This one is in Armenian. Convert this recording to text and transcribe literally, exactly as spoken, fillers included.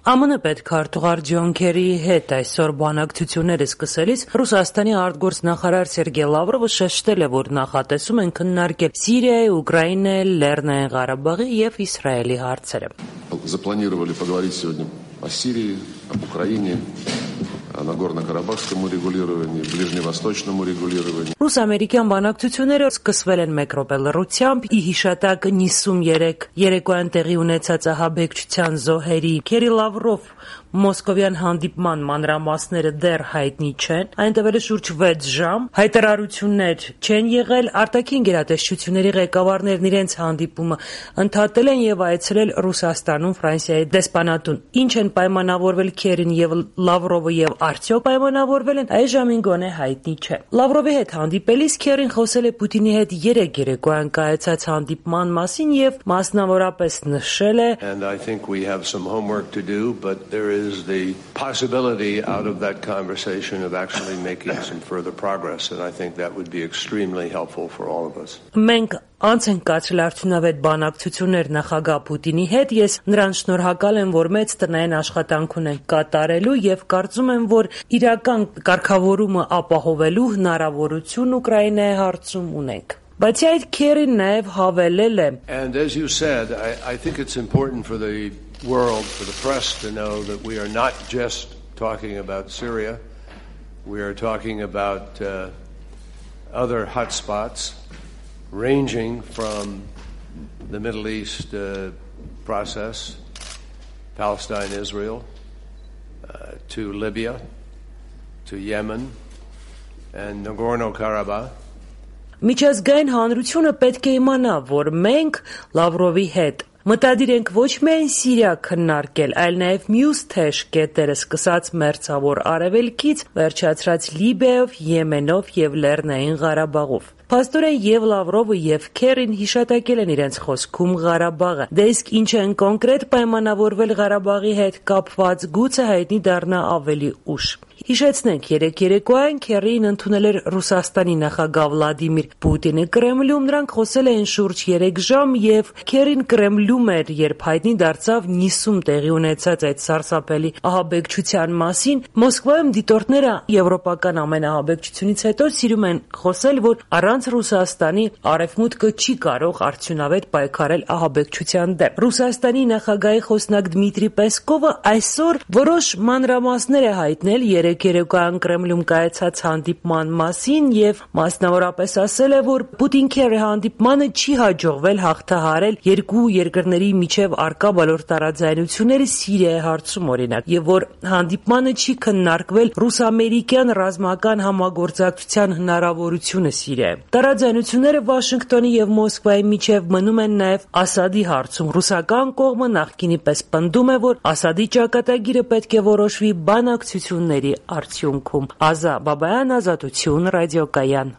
Ամն պետքարտուղար Ջոն Քերիի հետ այսօր բանակցությունները սկսելիս Ռուսաստանի արտգործնախարար Սերգեյ Լավրովը շեշտել է, որ նախատեսում են քննարկել Սիրիայի, Ուկրաինայի, Լեռնային Ղարաբաղի եւ Իսրայելի հարցերը։ Запланировали поговорить сегодня о Сирии, об Украине, о Нагорно-Карабахском урегулировании, Ближневосточном урегулировании. Ռուս-ամերիկյան բանակցությունները սկսվել են մեկ րոպե լռությամբ ի հիշատակ նիսուններեք երեկոյան տեղի ունեցած ահաբեկչության զոհերի։ Քերի Լավրով Մոսկովյան հանդիպման մանրամասները դեռ հայտնի չեն, այն տևել է շուրջ վեց ժամ, հայտարարություններ չեն եղել, արտաքին գերատեսչությունների ղեկավարներն իրենց հանդիպումը ընդհատել են եւ այցելել Ռուսաստանում Ֆրանսիայի դեսպանատուն։ Ինչ են պայմանավորվել Քերին եւ Լավրովը եւ արդյոք պայմանավորվել են, այժմին գոնե հայտնի չէ։ Լավրովի հետ հանդիպելիս Քերին խոսել է Պուտինի հետ երեք երեկոյան կայացած հանդիպման մասին եւ մասնավորապես նշել է And I think we have some homework to do, but there is the possibility out of that conversation of actually making some further progress, and I think that would be extremely helpful for all of us. Մենք անց ենք կացրել արդյունավետ բանակցություններ նախագահ Պուտինի հետ, ես նրան շնորհակալ եմ, որ մեծ տնային աշխատանք ունենք կատարելու եւ կարծում եմ, որ իրական կարգավորումը ապահովելու հնարավորություն Ուկրաինայի հարցում ունենք։ Բայց այդ Քերին նաեւ հավելել է And as you said, I, I think it's important for the world, for the press to know that we are not just talking about Syria. We are talking about uh, other hotspots ranging from the Middle East uh, process, Palestine, Israel, uh, to Libya, to Yemen, and Nagorno-Karabakh. Միջազգային հանրությունը պետք է իմանա, որ մենք Լավրովի հետ մտադիր ենք ոչ միայն Սիրիա քննարկել, այլ նաև մյուս թեժ կետերը սկսած Մերձավոր Արևելքից, վերջացրած Լիբիայով, Եմենով եւ Լեռնային Ղարաբաղով։ Փաստորեն եւ Լավրովը եւ Քերին հիշատակել են իրենց խոսքում Ղարաբաղը։ Դե իսկ ինչ են կոնկրետ պայմանավորվել Ղարաբաղի հետ կապված, գուցե հայտնի դառնա ավելի ուշ։ Հիշեցնենք, երեք երեկոյան Քերին ընդունել էր Ռուսաստանի նախագահ Վլադիմիր Պուտինը Կրեմլում, նրանք խոսել էին շուրջ երեք ժամ եւ Քերին Կրեմլում էր, երբ հայտնի դարձավ Նիսում տեղի ունեցած այդ սարսափելի ահաբեկչության մասին։ Մոսկվայում դիտորդները եվրոպական ամեն ահաբեկչությունից հետո սիրում են խոսել, որ առանց Ռուսաստանի արևմուտքը չի կարող արդյունավետ պայքարել ահաբեկչության դեմ։ Ռուսաստանի նախագահի խոսնակ Դմիտրի Պեսկովը այսօր որոշ մանրամասներ է հայտնել երեք երեկոյան Կրեմլում կայացած հանդիպման մասին եւ մասնավորապես ասել է, որ Պուտին-Քերի հանդիպմանը չի հաջողվել հաղթահարել երկու երկրների միջև առկա բոլոր տարաձայնությունները Սիրիայի հարցում օրինակ, եւ որ հանդիպմանը չի քննարկվել ռուս-ամերիկյան ռազմական համագործակցության հնարավորությունը Սիրիայում։ Տարաձայնությունները Վաշինգտոնի եւ Մոսկվայի միջև մնում են նաեւ Ասադի հարցում։ Ռուսական կողմը նախկինի պես պնդում է, որ Ասադի ճակատագիրը պետք է որոշվի բանակցությունների արդյունքում։ Ազա Բաբայան, Ազատություն, ռադիոկայան։